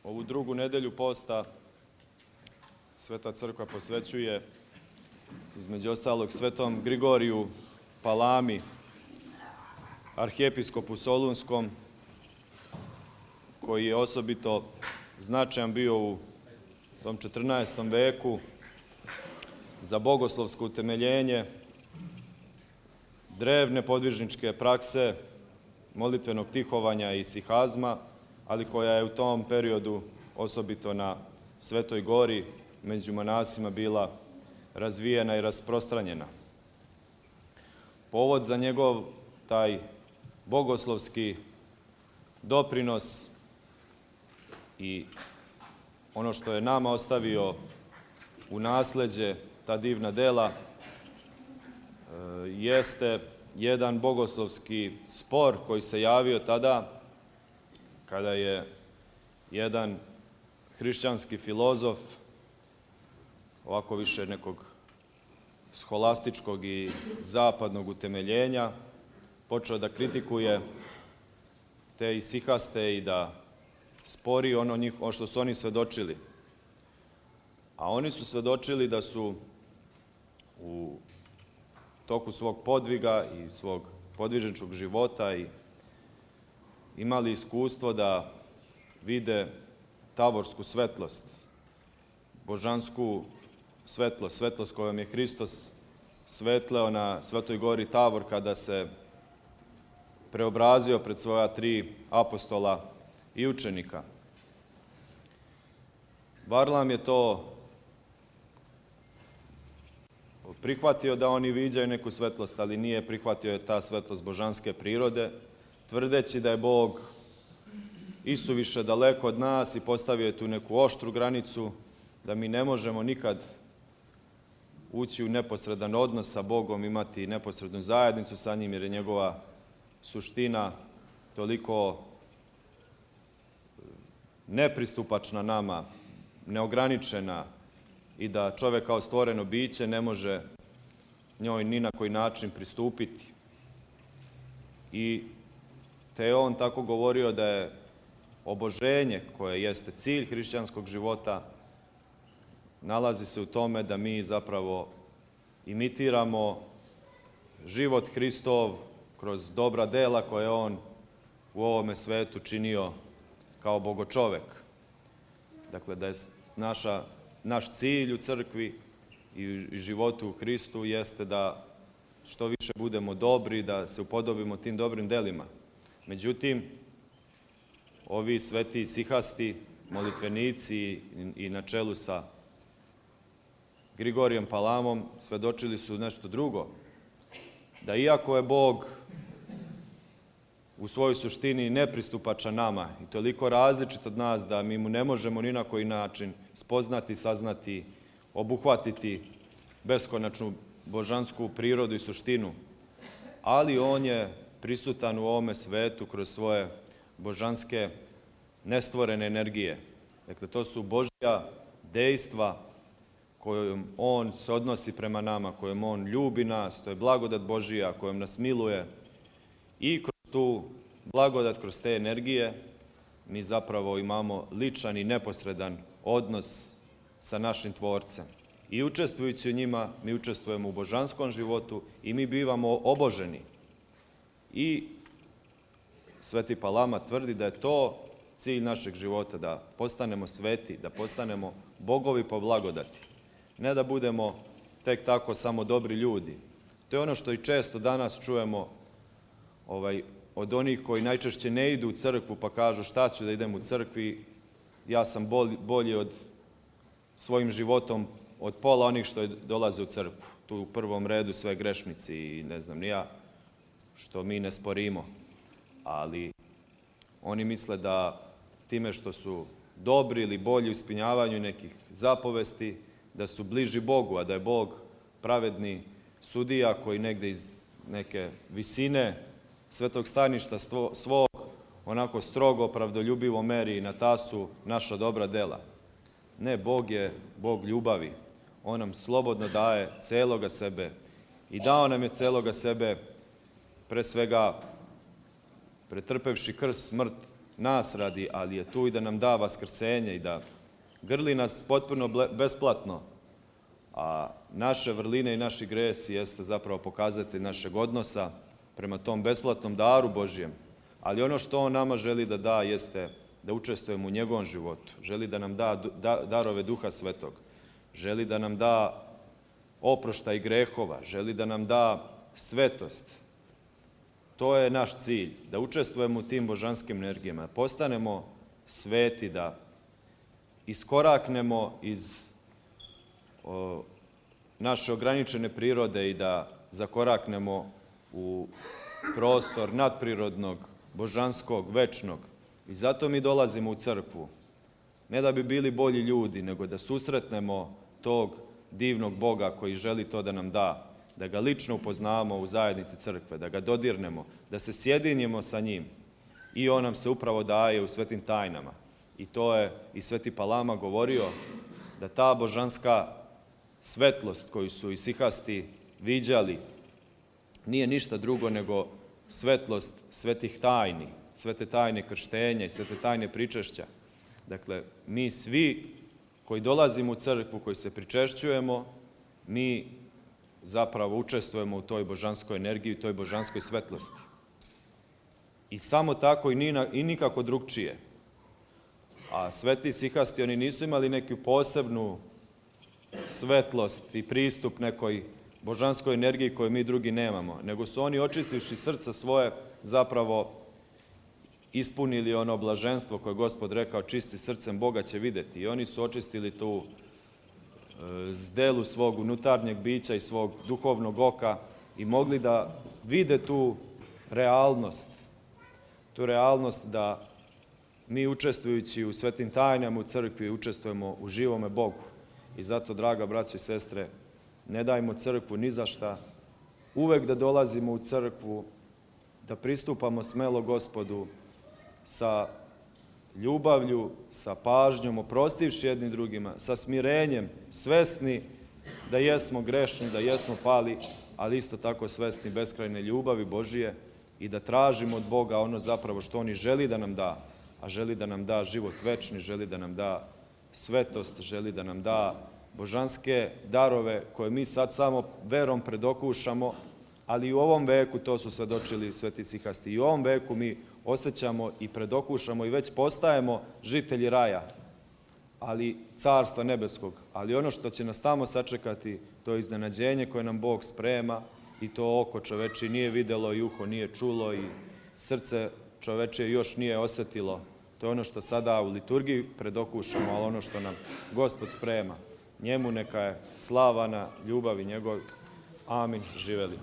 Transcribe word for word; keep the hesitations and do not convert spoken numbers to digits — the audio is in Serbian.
Ovu drugu nedelju posta Sveta crkva posvećuje između ostalog Svetom Grigoriju Palami, arhijepiskopu Solunskom, koji je osobito značajan bio u tom četrnaestom veku za bogoslovsko utemeljenje drevne podvižničke prakse, molitvenog tihovanja i sihazma, ali koja je u tom periodu osobito na Svetoj Gori među monasima bila razvijena i rasprostranjena. Povod za njegov taj bogoslovski doprinos i ono što je nama ostavio u nasleđe, ta divna dela, jeste jedan bogoslovski spor koji se javio tada kada je jedan hrišćanski filozof, ovako više nekog scholastičkog i zapadnog utemeljenja, počeo da kritikuje te isihaste i da spori ono, njih, ono što su oni svedočili. A oni su svedočili da su u toku svog podviga i svog podvižničkog života i imali iskustvo da vide tavorsku svetlost, božansku svetlost, svetlost kojom je Hristos svetleo na Svetoj Gori Tavor kada se preobrazio pred svoja tri apostola i učenika. Varlam je to prihvatio da oni viđaju neku svetlost, ali nije prihvatio je ta svetlost božanske prirode, tvrdeći da je Bog isuviše daleko od nas i postavio je tu neku oštru granicu, da mi ne možemo nikad ući u neposredan odnos sa Bogom, imati neposrednu zajednicu sa njim, jer je njegova suština toliko nepristupačna nama, neograničena, i da čovjek kao stvoreno biće ne može njoj ni na koji način pristupiti. I te je on tako govorio da je oboženje, koje jeste cilj hrišćanskog života, nalazi se u tome da mi zapravo imitiramo život Hristov kroz dobra dela koje on u ovome svetu činio kao bogočovek. Dakle, da je naša, naš cilj u crkvi i životu u Hristu jeste da što više budemo dobri, da se upodobimo tim dobrim delima. Međutim, ovi sveti sihasti, molitvenici i na čelu sa Grigorijem Palamom svedočili su nešto drugo. Da iako je Bog u svojoj suštini nepristupačan nama i toliko različit od nas da mi mu ne možemo ni na koji način spoznati, saznati, obuhvatiti beskonačnu božansku prirodu i suštinu, ali on je prisutan u ovome svetu kroz svoje božanske nestvorene energije. Dakle, to su Božja dejstva kojom on se odnosi prema nama, kojom on ljubi nas, to je blagodat Božija kojom nas miluje, i kroz tu blagodat, kroz te energije mi zapravo imamo ličan i neposredan odnos sa našim Tvorcem. I učestvujući u njima, mi učestvujemo u božanskom životu i mi bivamo oboženi. I Sveti Palama tvrdi da je to cilj našeg života, da postanemo sveti, da postanemo bogovi po blagodati. Ne da budemo tek tako samo dobri ljudi. To je ono što i često danas čujemo ovaj, od onih koji najčešće ne idu u crkvu pa kažu šta ću da idem u crkvi, ja sam bolji, bolji od svojim životom od pola onih što dolaze u crkvu. Tu u prvom redu sve grešnici i ne znam ni ja, što mi ne sporimo. Ali oni misle da time što su dobri ili bolji u ispunjavanju nekih zapovesti, da su bliži Bogu, a da je Bog pravedni sudija koji negde iz neke visine svetog staništa svog onako strogo, pravdoljubivo meri na tasu naša dobra dela. Ne, Bog je Bog ljubavi. On nam slobodno daje celoga sebe i dao nam je celoga sebe pre svega pretrpevši krst, smrt nas radi, ali je tu i da nam da vaskrsenje i da grli nas potpuno besplatno. A naše vrline i naši gresi jeste zapravo pokazatelj našeg odnosa prema tom besplatnom daru Božijem. Ali ono što on nama želi da da jeste da učestvujemo u njegovom životu. Želi da nam da darove Duha Svetog. Želi da nam da oproštaj grehova. Želi da nam da svetost. To je naš cilj, da učestvujemo u tim božanskim energijama, da postanemo sveti, da iskoraknemo iz o, naše ograničene prirode i da zakoraknemo u prostor nadprirodnog, božanskog, večnog. I zato mi dolazimo u crkvu. Ne da bi bili bolji ljudi, nego da susretnemo tog divnog Boga koji želi to da nam da. Da ga lično upoznamo u zajednici crkve, da ga dodirnemo, da se sjedinjemo sa njim. I on nam se upravo daje u svetim tajnama. I to je i Sveti Palama govorio, da ta božanska svetlost koju su isihasti viđali nije ništa drugo nego svetlost svetih tajni, svete tajne krštenja i svete tajne pričešća. Dakle, mi svi koji dolazimo u crkvu, koji se pričešćujemo, mi zapravo učestvujemo u toj božanskoj energiji, u toj božanskoj svetlosti. I samo tako i, ni, i nikako drugčije. A sveti isihasti, oni nisu imali neku posebnu svetlost i pristup nekoj božanskoj energiji koju mi drugi nemamo, nego su oni, očistivši srca svoje, zapravo ispunili ono blaženstvo koje je Gospod rekao, čisti srcem Boga će vidjeti. I oni su očistili tu zdelu svog unutarnjeg bića i svog duhovnog oka i mogli da vide tu realnost, tu realnost da mi učestvujući u svetim tajnama u crkvi učestvujemo u živome Bogu. I zato, draga braćo i sestre, ne dajmo crkvu ni za šta, uvek da dolazimo u crkvu, da pristupamo smelo Gospodu sa ljubavlju, sa pažnjom, oprostivši jedni drugima, sa smirenjem, svesni da jesmo grešni, da jesmo pali, ali isto tako svesni beskrajne ljubavi Božije i da tražimo od Boga ono zapravo što on i želi da nam da, a želi da nam da život večni, želi da nam da svetost, želi da nam da božanske darove koje mi sad samo verom predokušamo, ali i u ovom veku, to su svedočili sveti isihasti, i u ovom veku mi osjećamo i predokušamo i već postajemo žitelji raja, ali carstva nebeskog. Ali ono što će nas tamo sačekati, to je iznenađenje koje nam Bog sprema i to oko čoveče nije videlo i uho nije čulo i srce čoveče još nije osjetilo. To je ono što sada u liturgiji predokušamo, ali ono što nam Gospod sprema. Njemu neka je slava na ljubavi njegov. Amin. Živeli.